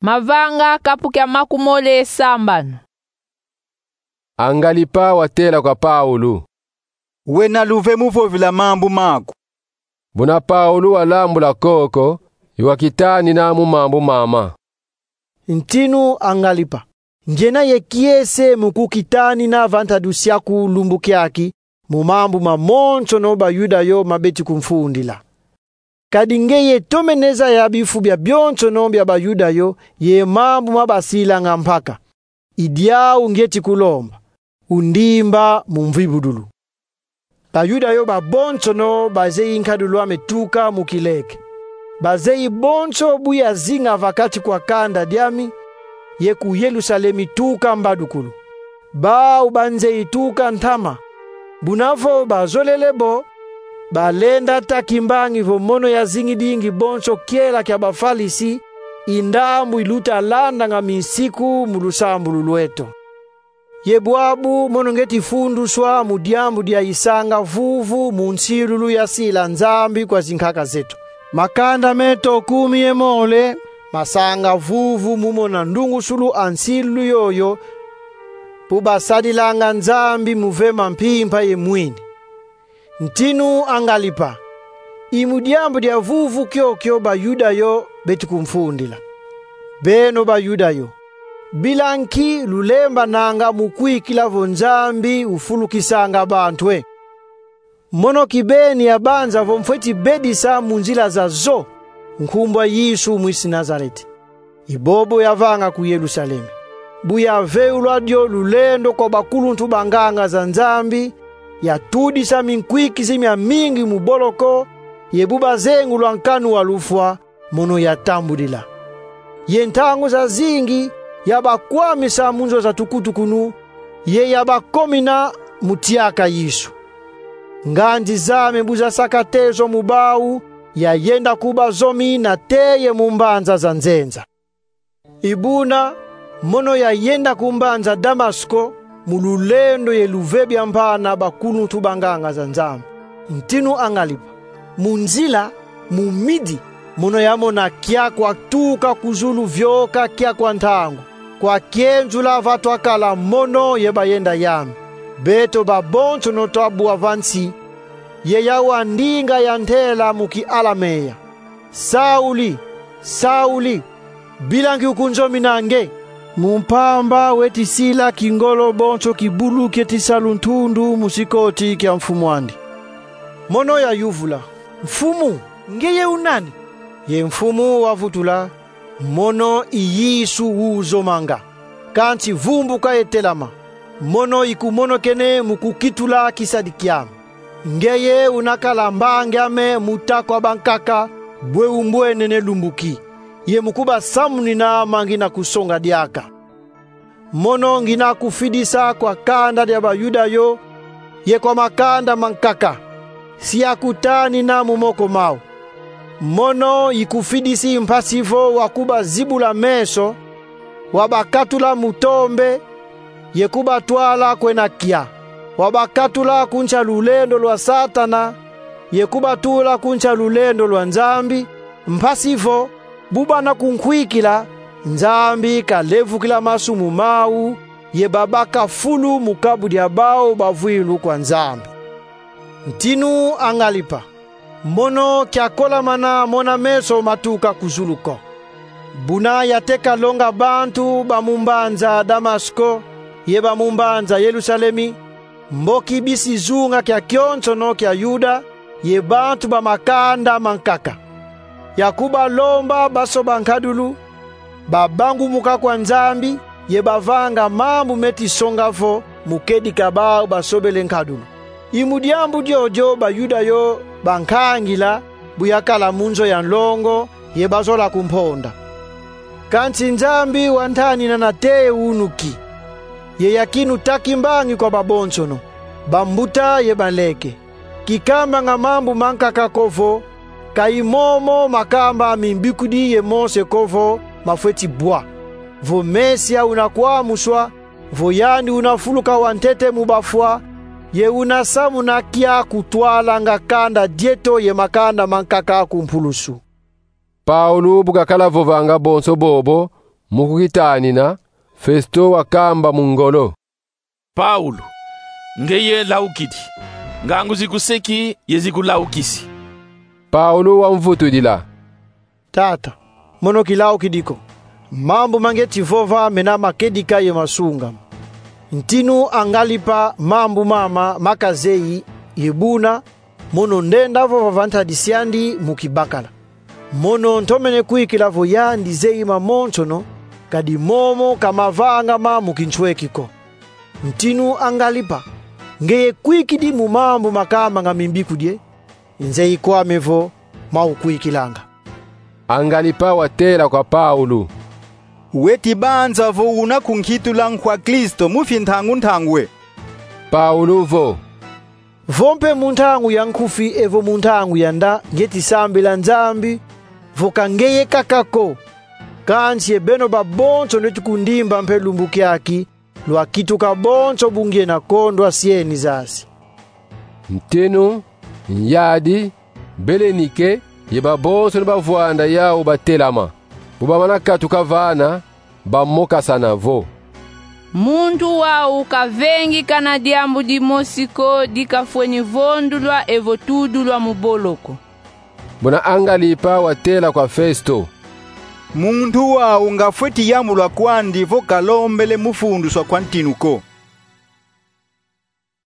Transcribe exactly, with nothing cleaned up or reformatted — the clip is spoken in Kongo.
Mavanga kapu kia makumole sambanu. Angalipa watela kwa Paulu: Wena luve mu vovila mambu maku. Buna Paulu walambula koko, ye wakitanina mu mambu mama. Ntinu Angalipa, ngiena ye kiese mu kukitanina va ntadu siaku lumbu kiaki, mu mambu mamonsono Bayuda yo mabeti kumfundila. Kadi ngeye tomene zaya bifu bia bionsono bia Bayuda yo ye mambu mabasilanga mpaka. I diau ngieti kulomba: undimba mu mvibudulu. Bayuda yo babonsono bazeyi nkadulu ame tuka mu kileke. Bazeyi bonso bu yazinga va kati kwa kanda diami, ye ku Yelusalemi tuka mbadukulu. Bau banzeyi tuka ntama. Buna vo bazolele bo, balenda ta kimbangi vo mono yazingidingi bonso kiela kia Bafalisi, i ndambu iluta landanga minsiku mu lusambulu lweto. Ye bwabu mono ngieti funduswa mu diambu dia isanga vuvu mu nsilulu yasila Nzambi kwa zinkaka zeto. Makanda meto kumi ye mole masanga vuvu mu mona ndungusulu a nsilulu yoyo, bu basadilanga Nzambi mu vema mpimpa ye mwini. Ntinu Angalipa, i mu diambu dia vuvu kiokio Bayuda yo beti kumfundila. Beno Bayuda yo, bila nki lulembananga mu kwikila vo Nzambi ufulukisanga bantu e? Mono kibeni yabanza vo mfweti bedisa mu nzila zazo nkumbu a Yesu mwisi Nazareti. I bobo yavanga ku Yelusalemi. Bu yaveulwa dio lulendo kwa bakuluntu banganga za Nzambi, yatudisa minkwikizi miamingi mu boloko, ye bu bazengulwa nkanu wa lufwa, mono yatambudila. Ye ntangu zazingi yabakwamisa mu nzo za tukutukunu, ye yabakomina mu tiaka Yesu. Nganzi zame bu zasaka tezo mu bau, yayenda kubazomi nate ye mu mbanza za nzenza. I buna, mono yayenda ku mbanza Damasko, mu lulendo ye luve biampana bakuluntu banganga za Nzambi. Ntinu Angalipa, mu nzila, mu midi, mono yamona kia kwatuka ku zulu vioka kia kwa ntangu, kwa kienzula va twakala mono ye bayenda yame. Beto babonsono twabwa va nsi, ye yawu a ndinga yantela mu kialamea: Sauli, Sauli, bila nki ukunzomina nge? Mu mpamba weti sila kingolo bonso kibulu kieti sa luntundu mu sikoti kia mfumu andi. Mono yayuvula: Mfumu, ngeye u nani? Ye Mfumu wavutula: Mono i Yesu uzomanga. Kansi vumbuka ye telama, mono ikumokene mu kukitula kisadi kiame. Ngeye unakala mbangi ame mu ta kwa bankaka bwe umbwenene lumbu ki, ye mu kubasamunina ma ngina kusonga diaka. Mono ngina kufidisa kwa kanda dia Bayuda yo, ye kwa makanda mankaka, si yakutanina mu moko mau. Mono ikufidisi mpasi vo wakubazibula meso, wabakatula mu tombe, ye kubatwala kwena kia. Wabakatula ku nsi a lulendo lwa Satana, ye kubatula ku nsi a lulendo lwa Nzambi, mpasi vo, bu bana kunkwikila, Nzambi kalevukila masumu mau, ye babaka fulu mu kabu dia bau bavwindu kwa Nzambi. Ntinu Angalipa, mono kiakolamana mona meso matuka ku zulu ko. Buna yateka longa bantu ba mu mbanza Damasko, ye ba mu mbanza Yelusalemi, mboki bisi zunga kiakionsono kia Yuda, ye bantu ba makanda mankaka. Yakubalomba basoba nkadulu, babangumuka kwa Nzambi, ye bavanga mambu meti songa vo mu kedika bau basobele nkadulu. I mu diambu diodio Bayuda yo bankangila, bu yakala mu nzo ya nlongo, ye bazola kumponda. Kansi Nzambi wantanina nate ye unu ki, ye yakinu ta kimbangi kwa babonsono, bambuta ye banleke. Kikambanga mambu mankaka ko vo, ka i momo makamba a mimbikudi ye Mose ko vo mafweti bwa: vo Mesia una kwamuswa, vo yandi una fuluka wantete mu bafwa, ye una samuna kia kutwalanga kanda dieto ye makanda mankaka ku mpulusu. Paulu bu kakala vovanga bonso bobo, Mu kukitanina, Festo wakamba mu ngolo: Paulo, ngeye laukidi. Ngangu zikuseki ye zikulaukisi. Paulo wamvutudila: Tata, mono kilaukidi ko. Mambu ma ngeti vova mena makedika ye masungama. Ntinu Angalipa mambu mama makazeyi, ye buna mono ndenda vova va ntadisi andi mu kibakala. Mono ntomene kwikila vo yandi zeyi mamonsono, kadi momo ka mavangama mu kintweki ko. Ntinu Angalipa, ngeye kwikidi mu mambu makama nga mimbikudi e? Nzeyi kwame vo mawukwikilanga. Angalipa watela kwa Paulo: Weti banza vo una kunkitula nkwa Kristo mu fintangu ntangu e? Paulo vo: Vo mpe mu ntangu ya nkufi evo mu ntangu ya nda, ngeti sambila Nzambi vo ka ngeye kaka ko. Kansi ye beno babonso neti kundimba mpe lumbu kiaki, lwakituka bonso bu ngiena kondwa sieni zasi. Ntinu, nyadi, Belenike, ye babonso ni bavwanda yau batelama. Bu bamana katuka vana, bamokasana vo: Muntu wau kavengi kana diambu dimosi ko di kafweni vondulwa evo tudulwa mu boloko. Muna Angalipa watela kwa Festo: Muntu wau nga fweti yambulwa kwandi vo kalombele mufunduswa kwa ntinu ko.